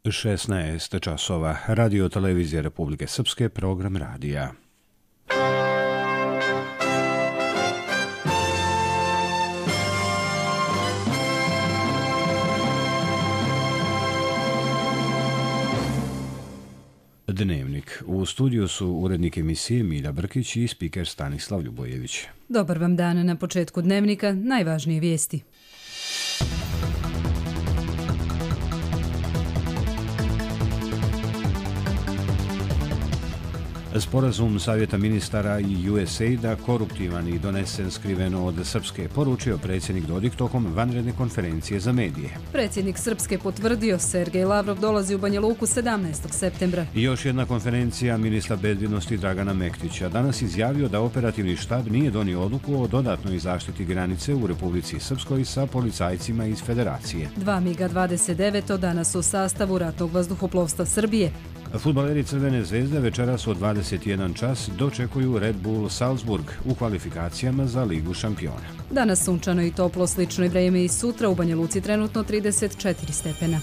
16 časova. Radio televizija Republike Srpske, program radija. Dnevnik. U studiju su urednik emisije Milja Brkić i spiker Stanislav Ljubojević. Dobar vam dan. Na početku Dnevnika najvažnije vijesti. Sporazum Savjeta ministara i USAID-a koruptivan i donesen skriveno od Srpske, poručio predsjednik Dodik tokom vanredne konferencije za medije. Predsjednik Srpske potvrdio, Sergej Lavrov dolazi u Banja Luku 17. septembra. I još jedna konferencija ministra bezbjednosti Dragana Mektića danas izjavio da operativni štab nije donio odluku o dodatnoj zaštiti granice u Republici Srpskoj sa policajcima iz Federacije. 2 MiG-29 danas u sastavu ratnog vazduhoplovstva Srbije. Fudbaleri Crvene zvezde večeras u 21 čas dočekuju Red Bull Salzburg u kvalifikacijama za Ligu šampiona. Danas sunčano i toplo, slično i vrijeme i sutra, u Banja Luci trenutno 34 stepena.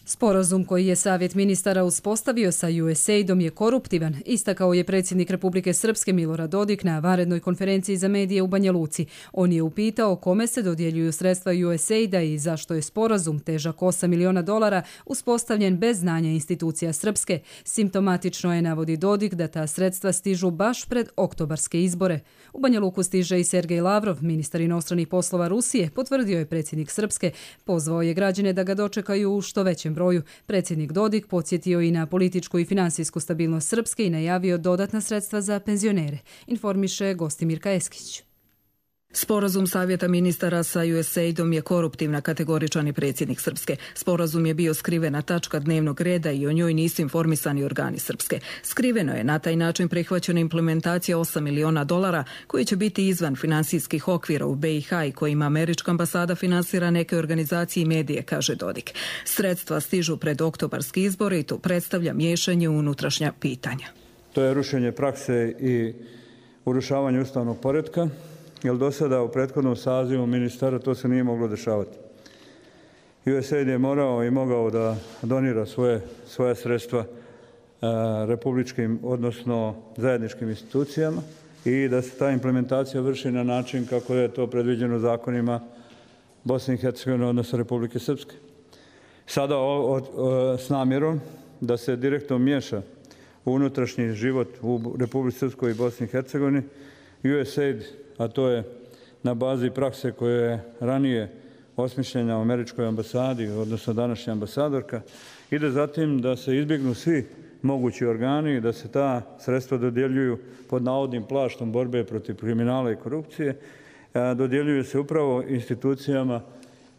Sporazum koji je Savjet ministara uspostavio sa USAID-om je koruptivan, istakao je predsjednik Republike Srpske Milorad Dodik na vanrednoj konferenciji za medije u Banja Luci. On je upitao kome se dodjeljuju sredstva USAID-a i zašto je sporazum težak $8 miliona uspostavljen bez znanja institucija Srpske. Simptomatično je, navodi Dodik, da ta sredstva stižu baš pred oktobarske izbore. U Banja Luku stiže i Sergej Lavrov, ministar inostranih poslova Rusije, potvrdio je predsjednik Srpske, pozvao je građane da ga dočekaju u što većem broju. Predsjednik Dodik podsjetio i na političku i finansijsku stabilnost Srpske i najavio dodatna sredstva za penzionere, informiše Gostimirka Eskić. Sporazum Savjeta ministara sa USAID-om je koruptivna, kategoričan i predsjednik Srpske. Sporazum je bio skrivena tačka dnevnog reda i o njoj nisu informisani organi Srpske. Skriveno je na taj način prihvaćena implementacija $8 miliona koji će biti izvan finansijskih okvira u BiH i kojima američka ambasada finansira neke organizacije i medije, kaže Dodik. Sredstva stižu pred oktobarski izbore i to predstavlja miješanje u unutrašnja pitanja. To je rušenje prakse i urušavanje ustavnog poretka, jer do sada u prethodnom sazivu ministara to se nije moglo dešavati. USAID je morao i mogao da donira svoje sredstva republičkim, odnosno zajedničkim institucijama i da se ta implementacija vrši na način kako je to predviđeno zakonima Bosne i Hercegovine, odnosno Republike Srpske. Sada s namjerom da se direktno miješa u unutrašnji život u Republici Srpskoj i Bosni i Hercegovini, USAID, a to je na bazi prakse koje je ranije osmišljena u američkoj ambasadi, odnosno današnja ambasadorka, ide zatim da se izbjegnu svi mogući organi i da se ta sredstva dodjeljuju pod navodnim plaštom borbe protiv kriminala i korupcije, dodjeljuju se upravo institucijama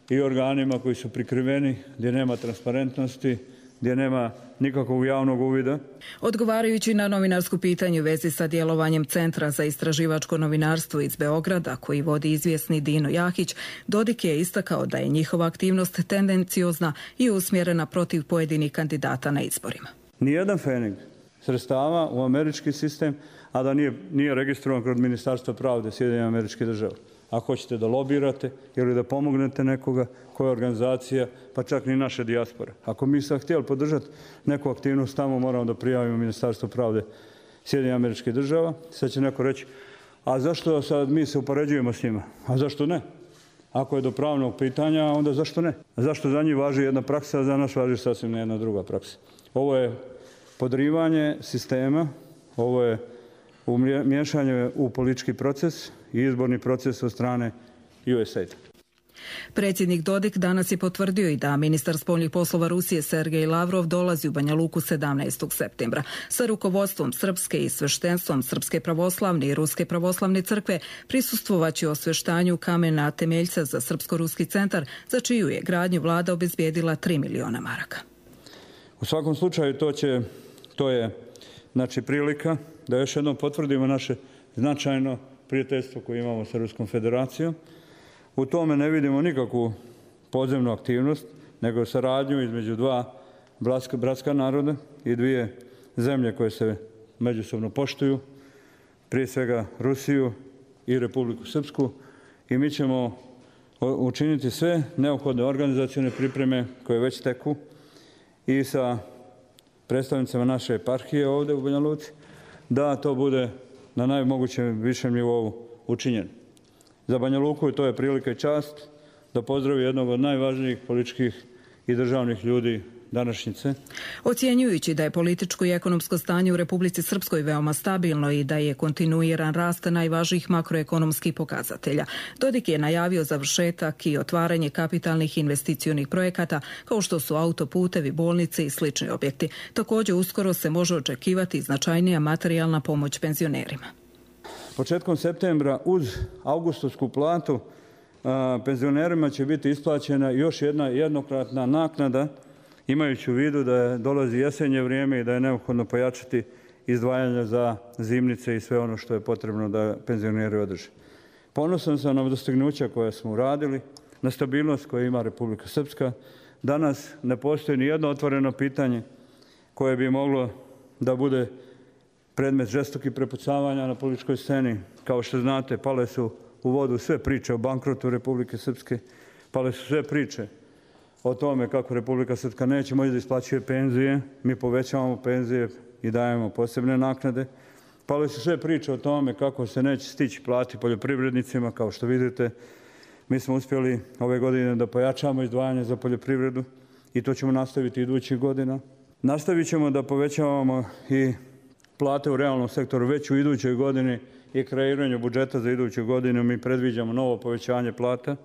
i organima koji su prikriveni, gdje nema transparentnosti, gdje nema nikakvog javnog uvida. Odgovarajući na novinarsko pitanje u vezi sa djelovanjem Centra za istraživačko novinarstvo iz Beograda, koji vodi izvjesni Dino Jahić, Dodik je istakao da je njihova aktivnost tendenciozna i usmjerena protiv pojedinih kandidata na izborima. Nijedan pfening sredstava u američki sistem, a da nije registrovan kod Ministarstva pravde Sjedinjenih Američkih Država. Ako hoćete da lobirate ili da pomognete nekoga, koja organizacija, pa čak ni naše dijaspore. Ako mi sad htjeli podržati neku aktivnost, tamo moramo da prijavimo Ministarstvo pravde Sjedinjenih Američkih Država. Sad će neko reći, a zašto sad mi se upoređujemo s njima? A zašto ne? Ako je do pravnog pitanja, onda zašto ne? A zašto za njih važi jedna praksa, a za nas važi sasvim jedna druga praksa? Ovo je podrivanje sistema, ovo je miješanje u politički proces i izborni proces od strane USAID. Predsjednik Dodik danas je potvrdio i da ministar spoljnih poslova Rusije Sergej Lavrov dolazi u Banja Luku 17. septembra. Sa rukovodstvom Srpske i sveštenstvom Srpske pravoslavne i Ruske pravoslavne crkve prisustvovaće osveštanju kamena temeljca za Srpsko-ruski centar, za čiju je gradnju vlada obezbijedila $3 miliona. U svakom slučaju to je prilika da još jednom potvrdimo naše značajno prijateljstvo koje imamo sa Ruskom federacijom. U tome ne vidimo nikakvu podzemnu aktivnost, nego saradnju između dva bratska naroda i dvije zemlje koje se međusobno poštuju, prije svega Rusiju i Republiku Srpsku, i mi ćemo učiniti sve neophodne organizacione pripreme koje već teku i sa predstavnicama naše eparhije ovdje u Banja Luci, da to bude na najmogućem višem nivou učinjeno. Za Banja Luku to je prilika i čast da pozdravi jednog od najvažnijih političkih i državnih ljudi današnjice. Ocjenjujući da je političko i ekonomsko stanje u Republici Srpskoj veoma stabilno i da je kontinuiran rast najvažnijih makroekonomskih pokazatelja, Dodik je najavio završetak i otvaranje kapitalnih investicionih projekata kao što su autoputevi, bolnice i slični objekti. Također uskoro se može očekivati značajnija materijalna pomoć penzionerima. Početkom septembra uz augustovsku platu penzionerima će biti isplaćena još jedna jednokratna naknada, imajući u vidu da dolazi jesenje vrijeme i da je neophodno pojačati izdvajanja za zimnice i sve ono što je potrebno da penzioneri održe. Ponosan sam na dostignuća koja smo uradili, na stabilnost koju ima Republika Srpska. Danas ne postoji ni jedno otvoreno pitanje koje bi moglo da bude predmet žestokih prepucavanja na političkoj sceni. Kao što znate, pale su u vodu sve priče o bankrotu Republike Srpske, pale su sve priče o tome kako Republika Srpska neće moći da isplaćuje penzije, mi povećavamo penzije i dajemo posebne naknade. Pale su sve priče o tome kako se neće stići plati poljoprivrednicima. Kao što vidite, mi smo uspjeli ove godine da pojačamo izdvajanje za poljoprivredu i to ćemo nastaviti idućih godina. Nastavit ćemo da povećavamo i plate u realnom sektoru već u idućoj godini i kreiranju budžeta za iduću godinu. Mi predviđamo novo povećanje plata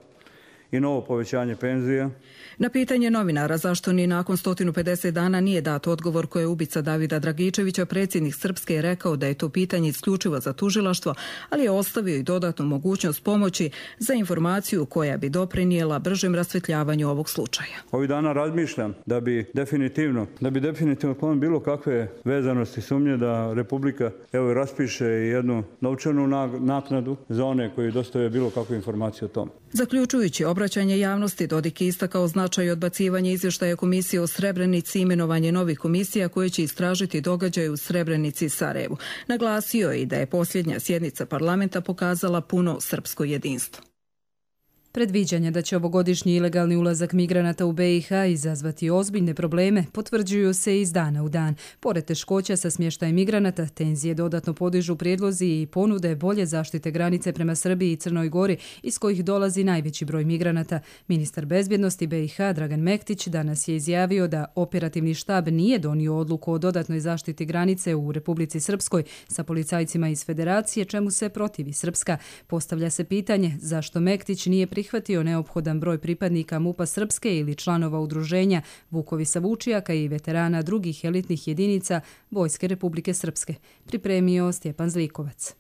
i novo povećanje penzija. Na pitanje novinara zašto ni nakon 150 dana nije dat odgovor koje je ubica Davida Dragičevića, predsjednik Srpske je rekao da je to pitanje isključivo za tužilaštvo, ali je ostavio i dodatnu mogućnost pomoći za informaciju koja bi doprinijela bržem rasvetljavanju ovog slučaja. Ovih dana razmišljam da bi definitivno klon bilo kakve vezanosti sumnje da Republika raspiše jednu novčanu naknadu za one koji dostave bilo kakvu informaciju o tome. Zaključujući obraćanje javnosti, Dodik je istakao značaj odbacivanja izvještaja komisije o Srebrenici i imenovanje novih komisija koje će istražiti događaje u Srebrenici i Sarajevu. Naglasio je i da je posljednja sjednica parlamenta pokazala puno srpsko jedinstvo. Predviđanja da će ovogodišnji ilegalni ulazak migranata u BiH izazvati ozbiljne probleme potvrđuju se iz dana u dan. Pored teškoća sa smještajem migranata, tenzije dodatno podižu prijedlozi i ponude bolje zaštite granice prema Srbiji i Crnoj Gori, iz kojih dolazi najveći broj migranata. Ministar bezbjednosti BiH Dragan Mektić danas je izjavio da operativni štab nije donio odluku o dodatnoj zaštiti granice u Republici Srpskoj sa policajcima iz Federacije, čemu se protivi Srpska. Postavlja se pitanje zašto Mektić nije prihvatio neophodan broj pripadnika MUP-a Srpske ili članova udruženja Vukovi Savučijaka i veterana drugih elitnih jedinica Vojske Republike Srpske. Pripremio Stjepan Zlikovac.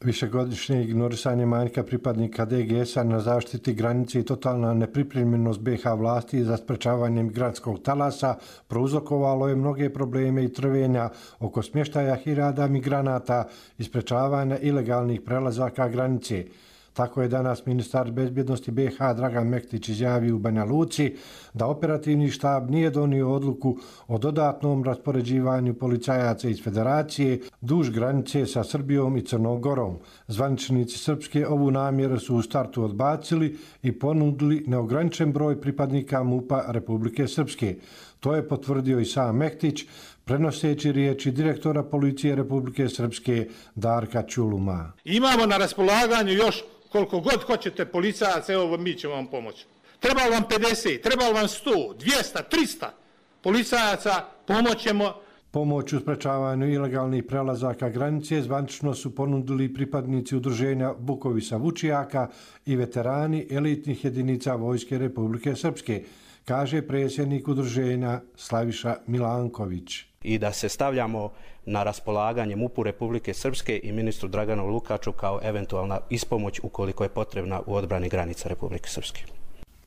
Višegodišnje ignorisanje manjka pripadnika DGS-a na zaštiti granice i totalna nepripremljenost BiH vlasti za sprečavanje migrantskog talasa prouzrokovalo je mnoge probleme i trvenja oko smještaja hiljada migranata i sprečavanja ilegalnih prelazaka granice. Tako je danas ministar bezbjednosti BiH Dragan Mektić izjavio u Banja Luci da operativni štab nije donio odluku o dodatnom raspoređivanju policajaca iz Federacije duž granice sa Srbijom i Crnom Gorom. Zvaničnici Srpske ovu namjeru su u startu odbacili i ponudili neograničen broj pripadnika MUP-a Republike Srpske. To je potvrdio i sam Mektić, prenoseći riječi direktora policije Republike Srpske Darka Čuluma. Imamo na raspolaganju još koliko god hoćete policajaca, evo mi ćemo vam pomoći. Treba vam 50, treba vam 100, 200, 300 policajaca, pomoćemo. Pomoć u sprečavanju ilegalnih prelazaka granice zvanično su ponudili pripadnici udruženja Vukovi Savučijaka i veterani elitnih jedinica Vojske Republike Srpske, kaže predsjednik udruženja Slaviša Milanković. I da se stavljamo na raspolaganje MUP-u Republike Srpske i ministru Draganu Lukaču kao eventualna ispomoć ukoliko je potrebna u odbrani granica Republike Srpske.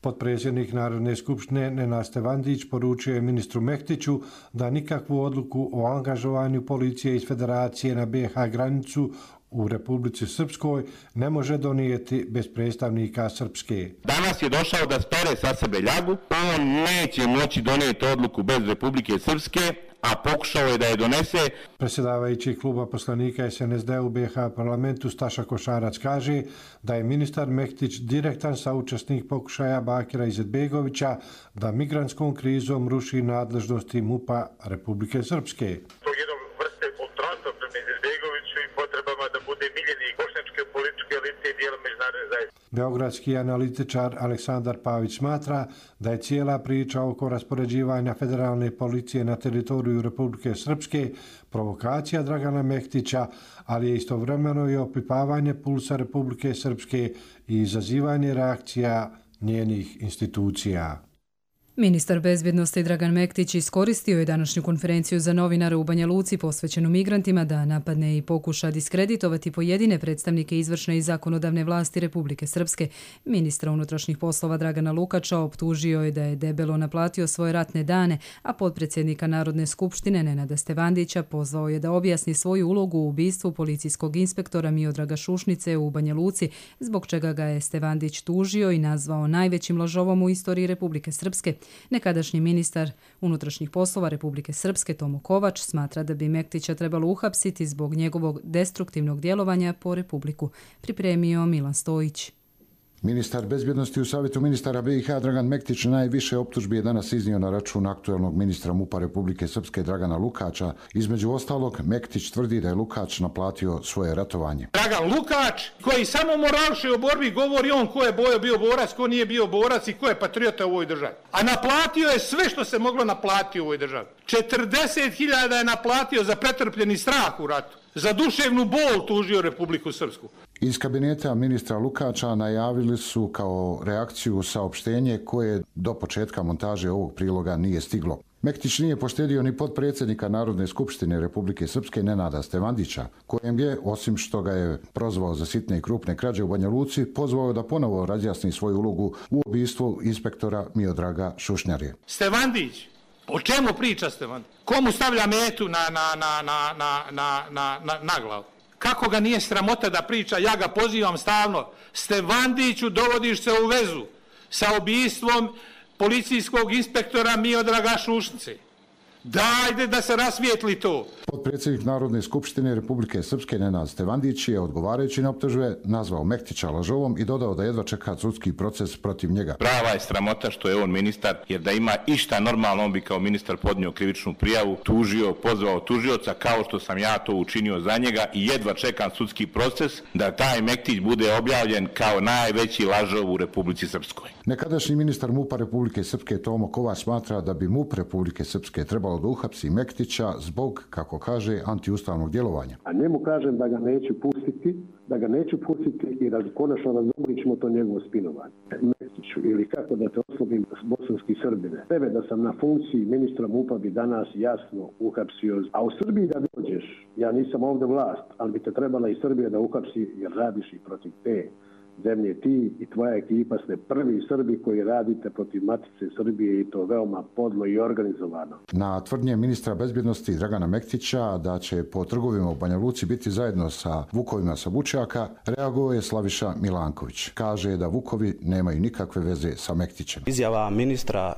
Potpredsjednik Narodne skupštine Nenad Stevandić poručio je ministru Mektiću da nikakvu odluku o angažovanju policije iz Federacije na BiH granicu u Republici Srpskoj ne može donijeti bez predstavnika Srpske. Danas je došao da spere sa sebe ljagu, on neće moći donijeti odluku bez Republike Srpske, a pokušao je da je donese. Predsjedavajući kluba poslanika SNSD u BiH parlamentu Staša Košarac kaže da je ministar Mektić direktan saučesnik pokušaja Bakira Izetbegovića da migrantskom krizom ruši nadležnosti MUP-a Republike Srpske. Beogradski analitičar Aleksandar Pavić smatra da je cijela priča oko raspoređivanja federalne policije na teritoriju Republike Srpske provokacija Dragana Mektića, ali je istovremeno i opipavanje pulsa Republike Srpske i izazivanje reakcija njenih institucija. Ministar bezbjednosti Dragan Mektić iskoristio je današnju konferenciju za novinare u Banja Luci posvećenu migrantima da napadne i pokuša diskreditovati pojedine predstavnike izvršne i zakonodavne vlasti Republike Srpske. Ministra unutrašnjih poslova Dragana Lukača optužio je da je debelo naplatio svoje ratne dane, a potpredsjednika Narodne skupštine Nenada Stevandića pozvao je da objasni svoju ulogu u ubistvu policijskog inspektora Miodraga Šušnice u Banja Luci, zbog čega ga je Stevandić tužio i nazvao najvećim lažovom u istoriji Republike Srpske. Nekadašnji ministar unutrašnjih poslova Republike Srpske Tomo Kovač smatra da bi Mektića trebalo uhapsiti zbog njegovog destruktivnog djelovanja po Republiku. Pripremio Milan Stojić. Ministar bezbjednosti u Savjetu ministara BiH Dragan Mektić najviše optužbi je danas iznio na račun aktuelnog ministra MUP-a Republike Srpske Dragana Lukača. Između ostalog, Mektić tvrdi da je Lukač naplatio svoje ratovanje. Dragan Lukač, koji samo moralše o borbi, govori on ko je bio borac, ko nije bio borac i ko je patriota u ovoj državi. A naplatio je sve što se moglo naplatiti u ovoj državi. 40.000 je naplatio za pretrpljeni strah u ratu. Za duševnu bol tužio Republiku Srpsku. Iz kabineta ministra Lukača najavili su kao reakciju saopštenje koje do početka montaže ovog priloga nije stiglo. Mektić nije poštedio ni potpredsjednika Narodne skupštine Republike Srpske Nenada Stevandića, kojem je, osim što ga je prozvao za sitne i krupne krađe u Banja Luci, pozvao da ponovo razjasni svoju ulogu u ubistvu inspektora Miodraga Šušnjarje. Stevandić, o čemu priča Stevandić? Komu stavlja metu na glavu? Kako ga nije sramota da priča? Ja ga pozivam stalno. Stevandiću, dovodiš se u vezu sa ubistvom policijskog inspektora Miodraga Šušnice. Dajde da se rasvijetli to. Potpredsjednik Narodne skupštine Republike Srpske Nenad Stevandić je, odgovarajući na optužbe, nazvao Mektića lažovom i dodao da jedva čeka sudski proces protiv njega. Prava je sramota što je on ministar, jer da ima išta normalno, on bi kao ministar podnio krivičnu prijavu, tužio, pozvao tužioca, kao što sam ja to učinio za njega, i jedva čekam sudski proces da taj Mektić bude objavljen kao najveći lažov u Republici Srpskoj. Nekadašnji ministar MUP-a Republike Srpske Tomo Kovač smatra da bi MUP Republike Srpske trebalo da uhapsi Mektića zbog, kako kaže, antiustavnog djelovanja. A njemu kažem da ga neću pustiti i da konačno razumlićemo to njegovo spinovanje. Mektiću, ili kako da te oslobim bosanski Srbine. Tebe da sam na funkciji ministra MUP-a bi danas jasno uhapsio. A u Srbiji da dođeš, ja nisam ovdje vlast, ali bi te trebala i Srbija da uhapsi jer radiš i protiv te zemlje. Ti i tvoja ekipa ste prvi Srbi koji radite protiv Matice Srbije i to veoma podlo i organizovano. Na tvrdnje ministra bezbjednosti Dragana Mektića da će po trgovima u Banja Luci biti zajedno sa vukovima sa Vučjaka, reagovao je Slaviša Milanković. Kaže da vukovi nemaju nikakve veze sa Mektićem. Izjava ministra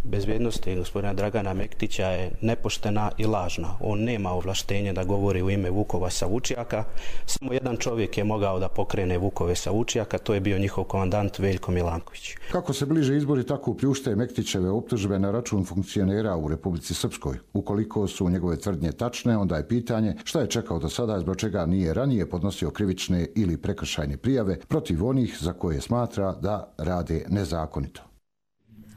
bezbjednosti gospodina Dragana Mektića je nepoštena i lažna. On nema ovlaštenje da govori u ime vukova sa Vučjaka. Samo jedan čovjek je mogao da pokrene vukove sa Vučjaka, to je bio njihov komandant Veljko Milanković. Kako se bliže izbori, tako pljušte Mektićeve optužbe na račun funkcionera u Republici Srpskoj. Ukoliko su njegove tvrdnje tačne, onda je pitanje šta je čekao do sada, zbog čega nije ranije podnosio krivične ili prekršajne prijave protiv onih za koje smatra da rade nezakonito.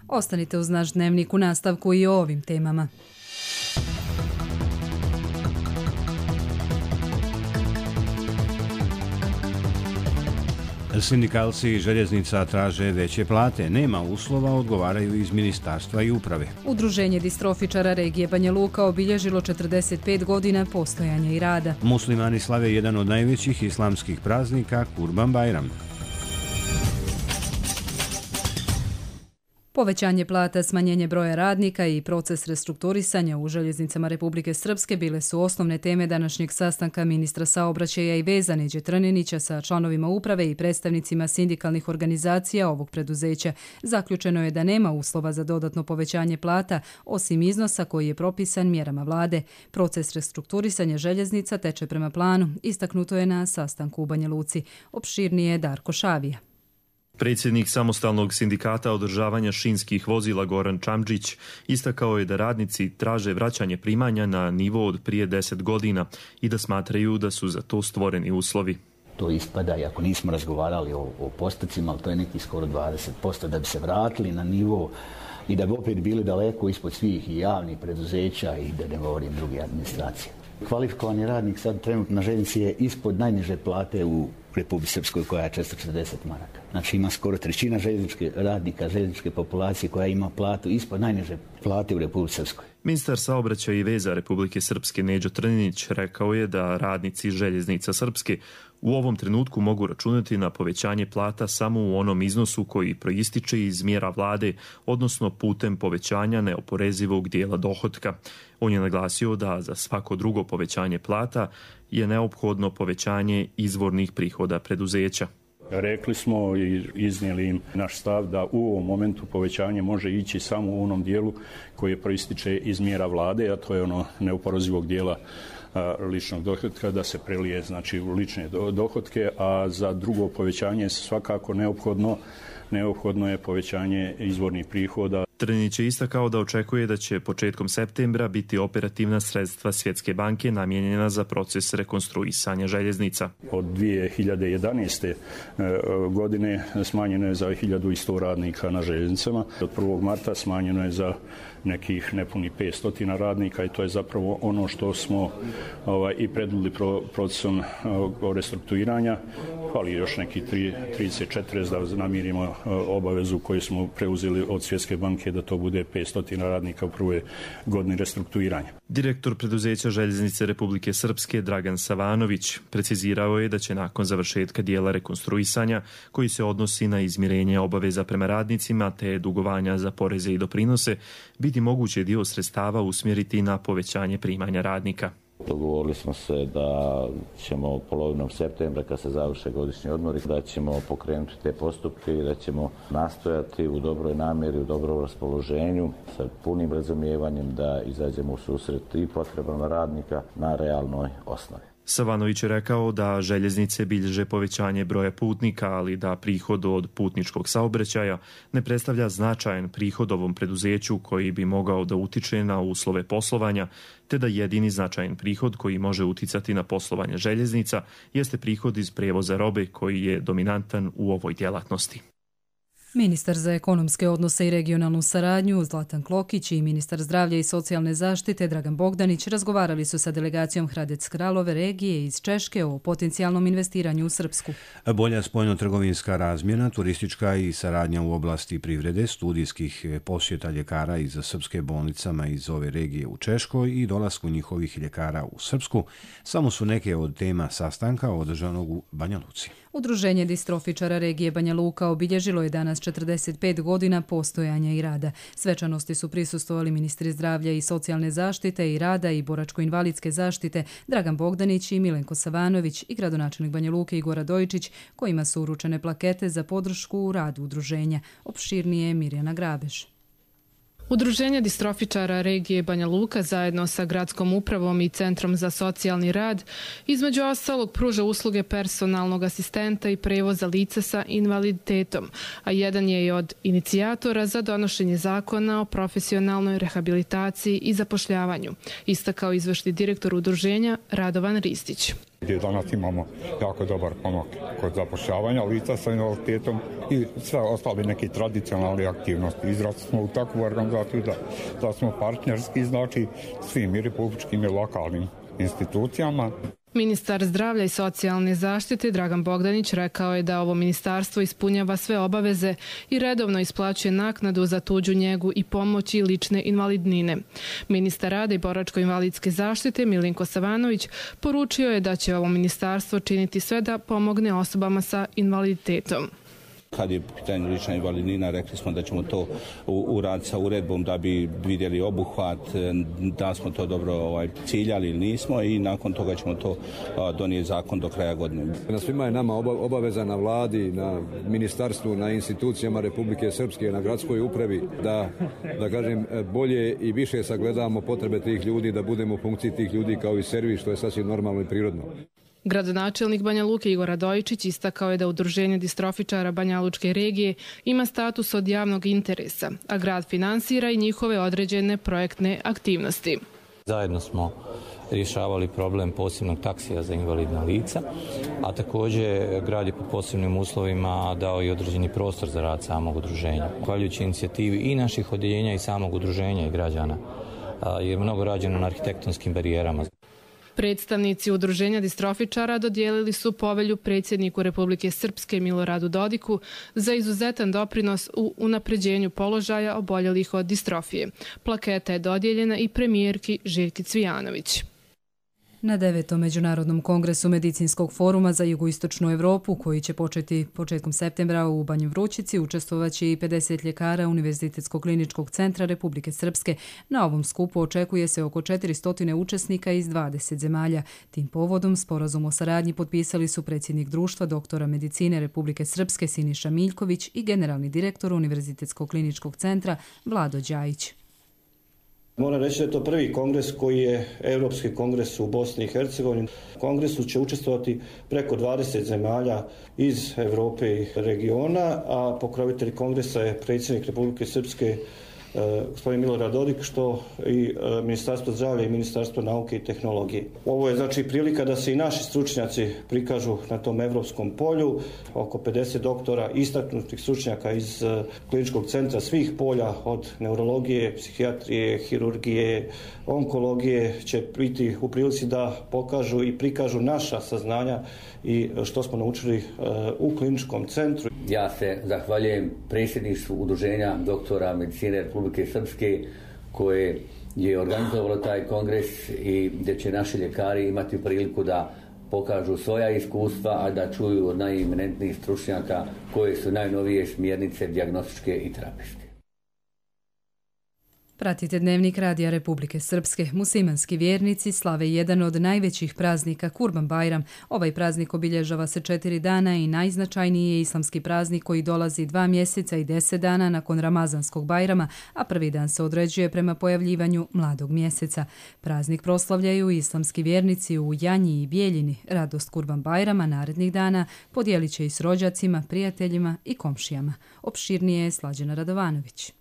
Ostanite uz naš dnevnik u nastavku i o ovim temama. Sindikalci željeznica traže veće plate. Nema uslova, odgovaraju iz ministarstva i uprave. Udruženje distrofičara regije Banja Luka obilježilo 45 godina postojanja i rada. Muslimani slave jedan od najvećih islamskih praznika, Kurban Bajram. Povećanje plata, smanjenje broja radnika i proces restrukturisanja u željeznicama Republike Srpske bile su osnovne teme današnjeg sastanka ministra saobraćaja i veza Neđe Trninića sa članovima uprave i predstavnicima sindikalnih organizacija ovog preduzeća. Zaključeno je da nema uslova za dodatno povećanje plata, osim iznosa koji je propisan mjerama vlade. Proces restrukturisanja željeznica teče prema planu, istaknuto je na sastanku u Banja Luci. Opširnije Darko Šavija. Predsjednik samostalnog sindikata održavanja šinskih vozila Goran Čamđić istakao je da radnici traže vraćanje primanja na nivo od prije 10 godina i da smatraju da su za to stvoreni uslovi. To ispada, i ako nismo razgovarali o postocima, ali to je neki skoro 20%, da bi se vratili na nivo i da bi opet bili daleko ispod svih i javnih preduzeća i da ne govorim druge administracije. Kvalifikovani radnik sad trenutno na željeznici je ispod najniže plate u Republici Srpskoj koja je 440 maraka. Znači ima skoro trećina radnika željezničke populacije koja ima platu ispod najniže plate u Republici Srpskoj. Ministar saobraćaja i veza Republike Srpske Neđo Trninić rekao je da radnici željeznica Srpske u ovom trenutku mogu računati na povećanje plata samo u onom iznosu koji proističe iz mjera vlade, odnosno putem povećanja neoporezivog dijela dohotka. On je naglasio da za svako drugo povećanje plata je neophodno povećanje izvornih prihoda preduzeća. Rekli smo i iznijeli im naš stav da u ovom momentu povećanje može ići samo u onom dijelu koji proističe iz mjera vlade, a to je ono neoporezivog dijela ličnog dohotka, da se prelije znači u lične dohotke, a za drugo povećanje svakako neophodno je povećanje izvornih prihoda. Trninić je istakao da očekuje da će početkom septembra biti operativna sredstva Svjetske banke namijenjena za proces rekonstruisanja željeznica. Od 2011. godine smanjeno je za 1100 radnika na željeznicama. Od 1. marta smanjeno je za nekih nepuni 500 radnika i to je zapravo ono što smo i predvidjeli procesom restrukturiranja. Fali još neki 30-40 da namirimo obavezu koju smo preuzeli od Svjetske banke da to bude 500 radnika u prvoj godini restrukturiranja. Direktor preduzeća Željeznice Republike Srpske Dragan Savanović precizirao je da će nakon završetka dijela rekonstruisanja koji se odnosi na izmirenje obaveza prema radnicima te dugovanja za poreze i doprinose biti moguće dio sredstava usmjeriti na povećanje primanja radnika. Dogovorili smo se da ćemo polovinom septembra, kad se završe godišnji odmori, da ćemo pokrenuti te postupke i da ćemo nastojati u dobroj namjeri, u dobrom raspoloženju, sa punim razumijevanjem da izađemo u susret i potrebama radnika na realnoj osnovi. Savanović je rekao da željeznice bilježe povećanje broja putnika, ali da prihod od putničkog saobraćaja ne predstavlja značajan prihod ovom preduzeću koji bi mogao da utiče na uslove poslovanja, te da jedini značajan prihod koji može uticati na poslovanje željeznica jeste prihod iz prijevoza robe koji je dominantan u ovoj djelatnosti. Ministar za ekonomske odnose i regionalnu saradnju Zlatan Klokić i ministar zdravlja i socijalne zaštite Dragan Bogdanić razgovarali su sa delegacijom Hradec Kralove regije iz Češke o potencijalnom investiranju u Srpsku. Bolja spoljno-trgovinska razmjena, turistička i saradnja u oblasti privrede, studijskih posjeta ljekara iz srpske bolnicama iz ove regije u Češkoj i dolasku njihovih ljekara u Srpsku samo su neke od tema sastanka održanog u Banja Luci. Udruženje distrofičara regije Banja Luka obilježilo je danas 45 godina postojanja i rada. Svečanosti su prisustvovali ministri zdravlja i socijalne zaštite i rada i boračko-invalidske zaštite Dragan Bogdanić i Milenko Savanović i gradonačelnik Banja Luke Igor Radojičić, kojima su uručene plakete za podršku u radu udruženja. Opširnije Mirjana Grabeš. Udruženje distrofičara regije Banja Luka zajedno sa gradskom upravom i Centrom za socijalni rad između ostalog pruža usluge personalnog asistenta i prevoza lica sa invaliditetom, a jedan je i od inicijatora za donošenje zakona o profesionalnoj rehabilitaciji i zapošljavanju, istakao izvršni direktor udruženja Radovan Ristić. Gdje danas imamo jako dobar pomak kod zapošljavanja lica sa invaliditetom i sve ostale neke tradicionalne aktivnosti. Izrasli smo u takvu organizaciju da smo partnerski, znači svim i republičkim i lokalnim institucijama. Ministar zdravlja i socijalne zaštite Dragan Bogdanić rekao je da ovo ministarstvo ispunjava sve obaveze i redovno isplaćuje naknadu za tuđu njegu i pomoć i lične invalidnine. Ministar rada i boračko-invalidske zaštite Milenko Savanović poručio je da će ovo ministarstvo činiti sve da pomogne osobama sa invaliditetom. Kad je pitanje lična invalidnina, rekli smo da ćemo to uraditi sa uredbom da bi vidjeli obuhvat, da smo to dobro ciljali ili nismo i nakon toga ćemo to donijeti zakon do kraja godine. Na svima je nama obaveza, na vladi, na ministarstvu, na institucijama Republike Srpske, na gradskoj upravi da kažem bolje i više sagledamo potrebe tih ljudi, da budemo u funkciji tih ljudi kao i servis, što je sasvim normalno i prirodno. Gradonačelnik Banja Luke Igor Radojičić istakao je da Udruženje distrofičara Banjalučke regije ima status od javnog interesa, a grad finansira i njihove određene projektne aktivnosti. Zajedno smo rješavali problem posebnog taksija za invalidna lica, a također grad je pod posebnim uslovima dao i određeni prostor za rad samog udruženja. Zahvaljujući inicijativi i naših odjeljenja i samog udruženja i građana je mnogo rađeno na arhitektonskim barijerama. Predstavnici Udruženja distrofičara dodijelili su povelju predsjedniku Republike Srpske Miloradu Dodiku za izuzetan doprinos u unapređenju položaja oboljelih od distrofije. Plaketa je dodijeljena i premijerki Željki Cvijanović. Na 9. Međunarodnom kongresu Medicinskog foruma za jugoistočnu Evropu, koji će početi početkom septembra u Banji Vrućici, učestvovaće i 50 ljekara Univerzitetskog kliničkog centra Republike Srpske. Na ovom skupu očekuje se oko 400 učesnika iz 20 zemalja. Tim povodom sporazum o saradnji potpisali su predsjednik društva doktora medicine Republike Srpske Siniša Miljković i generalni direktor Univerzitetskog kliničkog centra Vlado Đajić. Moram reći da je to prvi kongres koji je Europski kongres u Bosni i Hercegovini. U kongresu će učestvovati preko 20 zemalja iz Europe i regiona, a pokrovitelj kongresa je predsjednik Republike Srpske gospodin Milorad Dodik, što i Ministarstvo zdravlja i Ministarstvo nauke i tehnologije. Ovo je znači prilika da se i naši stručnjaci prikažu na tom evropskom polju. Oko 50 doktora, istaknutih stručnjaka iz kliničkog centra svih polja, od neurologije, psihijatrije, hirurgije, onkologije, će biti u prilici da pokažu i prikažu naša saznanja i što smo naučili u kliničkom centru. Ja se zahvaljujem predsjedništvu Udruženja doktora medicine Republike Srpske koje je organizovalo taj kongres i gdje će naši ljekari imati priliku da pokažu svoja iskustva, a da čuju od najeminentnijih stručnjaka koje su najnovije smjernice dijagnostičke i terapijske. Pratite Dnevnik Radija Republike Srpske. Muslimanski vjernici slave jedan od najvećih praznika Kurban Bajram. Ovaj praznik obilježava se 4 dana i najznačajniji je islamski praznik koji dolazi 2 mjeseca i 10 dana nakon Ramazanskog Bajrama, a prvi dan se određuje prema pojavljivanju mladog mjeseca. Praznik proslavljaju islamski vjernici u Janji i Bijeljini. Radost Kurban Bajrama narednih dana podijelit će i s rođacima, prijateljima i komšijama. Opširnije je Slađana Radovanović.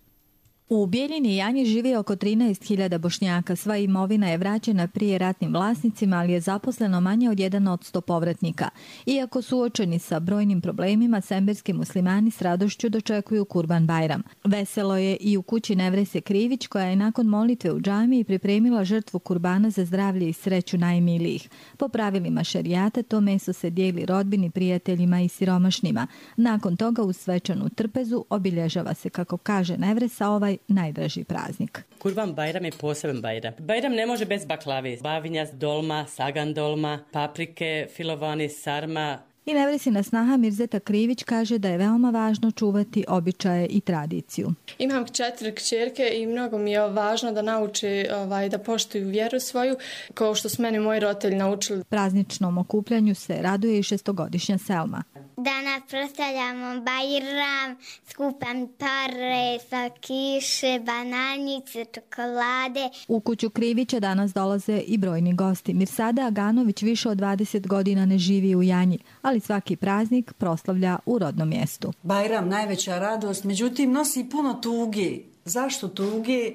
U Bijeljini i Janji živi oko 13.000 Bošnjaka. Sva imovina je vraćena prije ratnim vlasnicima, ali je zaposleno manje od 1% povratnika. Iako suočeni sa brojnim problemima, semberski muslimani s radošću dočekuju Kurban Bajram. Veselo je i u kući Nevrese Krivić, koja je nakon molitve u džamiji pripremila žrtvu kurbana za zdravlje i sreću najmilijih. Po pravilima šerijata to meso se dijeli rodbini, prijateljima i siromašnima. Nakon toga uz svečanu trpezu obilježava se, kako kaže Nevresa, ovaj najdraži praznik. Kurban Bajram je poseban Bajram. Bajram ne može bez baklave. Bavinjac, dolma, sagan dolma, paprike, filovani, sarma. I Nevresina snaha Mirzeta Krivić kaže da je veoma važno čuvati običaje i tradiciju. Imam 4 kćerke i mnogo mi je važno da nauče da poštuju vjeru svoju, kao što su meni moji roditelji naučili. Prazničnom okupljanju se raduje i 6-godišnja Selma. Danas proslavljamo Bajram, skupam pare, slatkiše, bananice, čokolade. U kuću Krivića danas dolaze i brojni gosti. Mirsada Aganović više od 20 godina ne živi u Janji, ali svaki praznik proslavlja u rodnom mjestu. Bajram, najveća radost, međutim nosi puno tuge. Zašto tuge?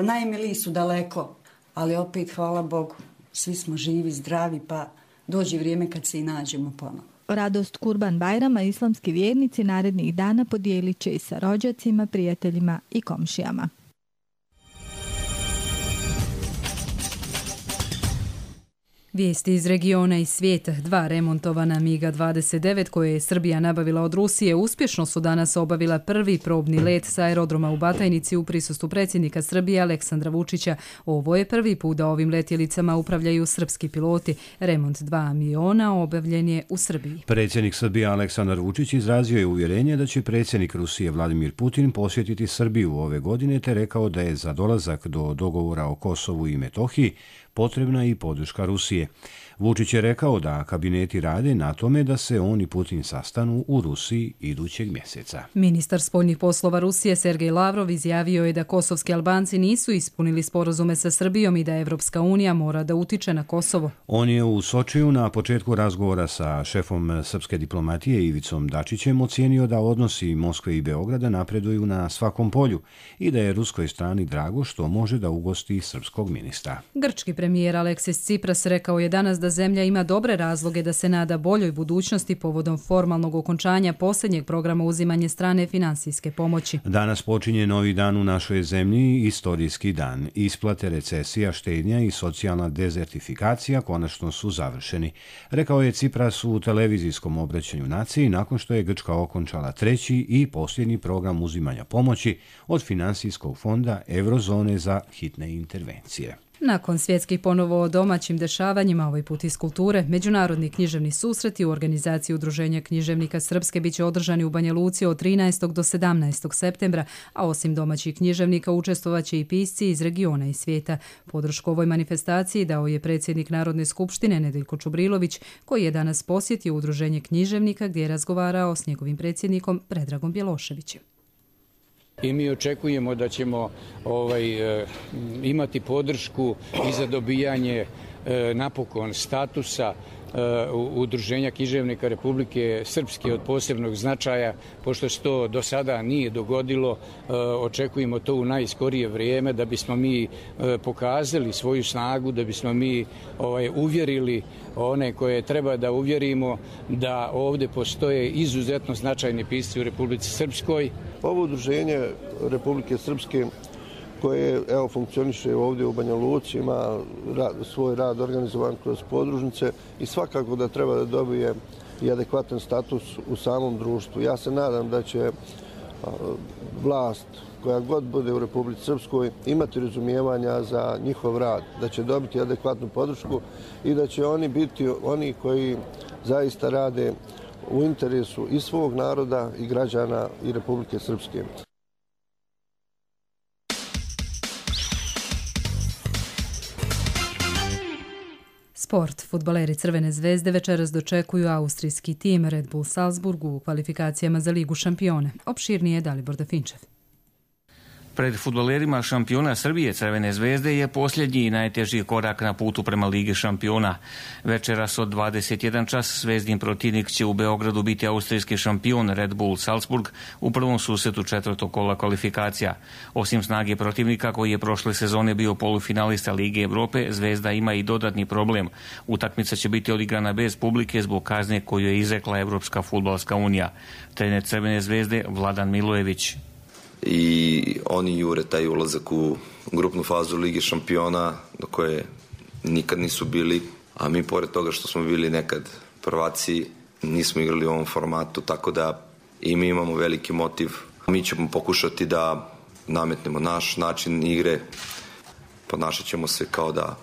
Najmiliji su daleko, ali opet hvala Bogu, svi smo živi, zdravi, pa dođe vrijeme kad se i nađemo ponovo. Radost Kurban Bajrama islamski vjernici narednih dana podijelit će i sa rođacima, prijateljima i komšijama. Vijesti iz regiona i svijeta. 2 remontovana MiG-29 koje je Srbija nabavila od Rusije uspješno su danas obavila prvi probni let sa aerodroma u Batajnici u prisustvu predsjednika Srbije Aleksandra Vučića. Ovo je prvi put da ovim letjelicama upravljaju srpski piloti. Remont 2 aviona obavljen je u Srbiji. Predsjednik Srbije Aleksandar Vučić izrazio je uvjerenje da će predsjednik Rusije Vladimir Putin posjetiti Srbiju ove godine, te rekao da je za dolazak do dogovora o Kosovu i Metohiji potrebna i podrška Rusije. Vučić je rekao da kabineti rade na tome da se on i Putin sastanu u Rusiji idućeg mjeseca. Ministar spoljnih poslova Rusije Sergej Lavrov izjavio je da kosovski Albanci nisu ispunili sporazume sa Srbijom i da Evropska unija mora da utiče na Kosovo. On je u Sočiju na početku razgovora sa šefom srpske diplomatije Ivicom Dačićem ocijenio da odnosi Moskve i Beograda napreduju na svakom polju i da je ruskoj strani drago što može da ugosti srpskog ministra. Grčki premijer Aleksis Tsipras rekao je danas da zemlja ima dobre razloge da se nada boljoj budućnosti povodom formalnog okončanja posljednjeg programa uzimanja strane finansijske pomoći. Danas počinje novi dan u našoj zemlji, istorijski dan. Isplate, recesija, štednja i socijalna dezertifikacija konačno su završeni, rekao je Tsipras u televizijskom obraćanju naciji nakon što je Grčka okončala treći i posljednji program uzimanja pomoći od Finansijskog fonda Eurozone za hitne intervencije. Nakon svjetskih ponovo o domaćim dešavanjima, ovaj put iz kulture, međunarodni književni susreti u organizaciji Udruženja književnika Srpske biće održani u Banja Luci od 13. do 17. septembra, a osim domaćih književnika učestvovaće i pisci iz regiona i svijeta. Podršku ovoj manifestaciji dao je predsjednik Narodne skupštine Nedeljko Čubrilović, koji je danas posjetio Udruženje književnika gdje je razgovarao s njegovim predsjednikom Predragom Bjeloševićem. I mi očekujemo da ćemo imati podršku i za dobijanje napokon statusa Udruženja književnika Republike Srpske od posebnog značaja, pošto se to do sada nije dogodilo. Očekujemo to u najskorije vrijeme da bismo mi pokazali svoju snagu, da bismo mi uvjerili one koje treba da uvjerimo da ovdje postoje izuzetno značajni pisci u Republici Srpskoj. Ovo udruženje Republike Srpske koje funkcioniše ovdje u Banja Luci, ima svoj rad organizovan kroz podružnice i svakako da treba da dobije i adekvatan status u samom društvu. Ja se nadam da će vlast koja god bude u Republici Srpskoj imati razumijevanja za njihov rad, da će dobiti adekvatnu podršku i da će oni biti oni koji zaista rade u interesu i svog naroda i građana i Republike Srpske. Sport. Fudbaleri Crvene zvezde večeras dočekuju austrijski tim Red Bull Salzburg u kvalifikacijama za Ligu šampiona. Opširnije je Dalibor Dafinčev. Pred fudbalerima šampiona Srbije Crvene zvezde je posljednji i najteži korak na putu prema Ligi šampiona. Večeras od 21 čas zvezdin protivnik će u Beogradu biti austrijski šampion Red Bull Salzburg u prvom susretu četvrtog kola kvalifikacija. Osim snage protivnika koji je prošle sezone bio polufinalista Lige Evrope, Zvezda ima i dodatni problem. Utakmica će biti odigrana bez publike zbog kazne koju je izrekla Evropska fudbalska unija. Trener Crvene zvezde Vladan Milojević. I oni jure taj ulazak u grupnu fazu Lige šampiona do koje nikad nisu bili, a mi pored toga što smo bili nekad prvaci nismo igrali u ovom formatu, tako da i mi imamo veliki motiv. Mi ćemo pokušati da nametnemo naš način igre, ponašat ćemo se kao da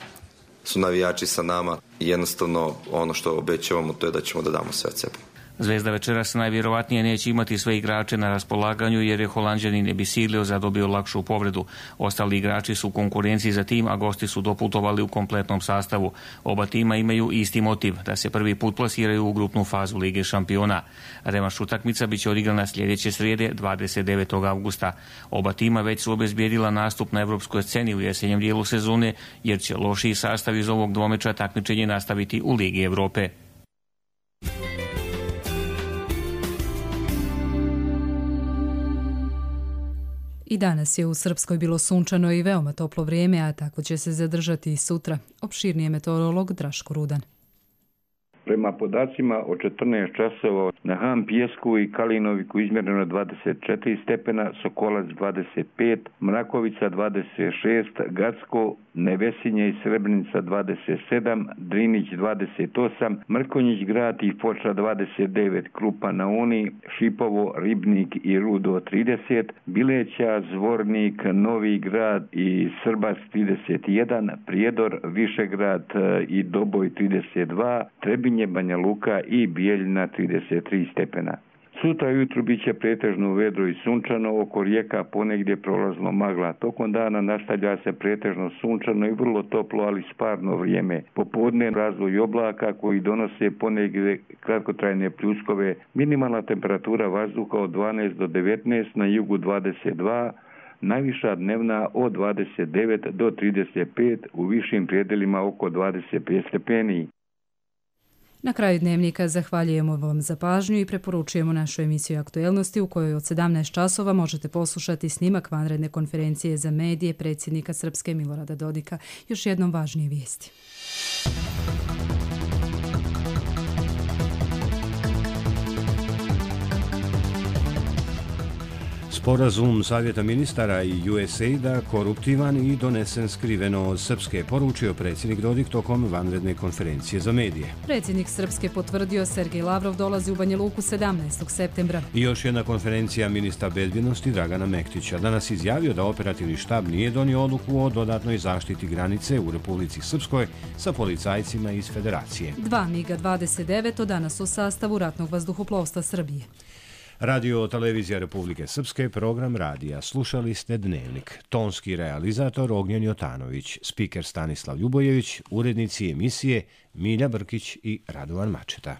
su navijači sa nama i jednostavno ono što obećavamo to je da ćemo da damo sve od sebe. Zvezda večeras najvjerovatnije neće imati sve igrače na raspolaganju jer je Holanđanin Ebisilio zadobio lakšu povredu. Ostali igrači su u konkurenciji za tim, a gosti su doputovali u kompletnom sastavu. Oba tima imaju isti motiv, da se prvi put plasiraju u grupnu fazu Lige šampiona. Revanš utakmica biće odigrana sljedeće srijede 29. avgusta. Oba tima već su obezbijedila nastup na evropskoj sceni u jesenjem dijelu sezone jer će lošiji sastav iz ovog dvomeča takmičenje nastaviti u Ligi Evrope. I danas je u Srpskoj bilo sunčano i veoma toplo vrijeme, a tako će se zadržati i sutra. Opširnije meteorolog Draško Rudan. Prema podacima od 14 časova na Han Pijesku i Kalinoviku izmjereno 24 stepena, Sokolac 25, Mrakovica 26, Gacko, Nevesinje i Srebrenica 27, Drinić 28, Mrkonjić grad i Foča 29, Krupa na Uni, Šipovo, Ribnik i Rudo 30, Bileća, Zvornik, Novi grad i Srbac 31, Prijedor, Višegrad i Doboj 32, Trebinje, Banja Luka i Bijeljina 33 stepena. Sutra ujutru bit će pretežno vedro i sunčano, oko rijeka ponegdje prolazno magla. Tokom dana nastavlja se pretežno sunčano i vrlo toplo, ali sparno vrijeme. Popodne razvoj oblaka koji donose ponegdje kratkotrajne pljuskove. Minimalna temperatura vazduha od 12 do 19, na jugu 22, najviša dnevna od 29 do 35, u višim prijedelima oko 25 stepeni. Na kraju dnevnika zahvaljujemo vam za pažnju i preporučujemo našu emisiju Aktuelnosti u kojoj od 17 časova možete poslušati snimak vanredne konferencije za medije predsjednika Srpske Milorada Dodika. Još jednom važnije vijesti. Sporazum Savjeta ministara i USAID-a koruptivan i donesen skriveno od Srpske, poručio predsjednik Dodik tokom vanredne konferencije za medije. Predsjednik Srpske potvrdio Sergej Lavrov dolazi u Banja Luku 17. septembra. I još jedna konferencija ministra bezbjednosti Dragana Mektića danas izjavio da operativni štab nije donio odluku o dodatnoj zaštiti granice u Republici Srpskoj sa policajcima iz Federacije. 2 MiG-29 danas u sastavu ratnog vazduhoplovstva Srbije. Radio Televizija Republike Srpske, program radija. Slušali ste Dnevnik. Tonski realizator Ognjen Jotanović, spiker Stanislav Ljubojević, urednici emisije Milja Brkić i Radovan Mačeta.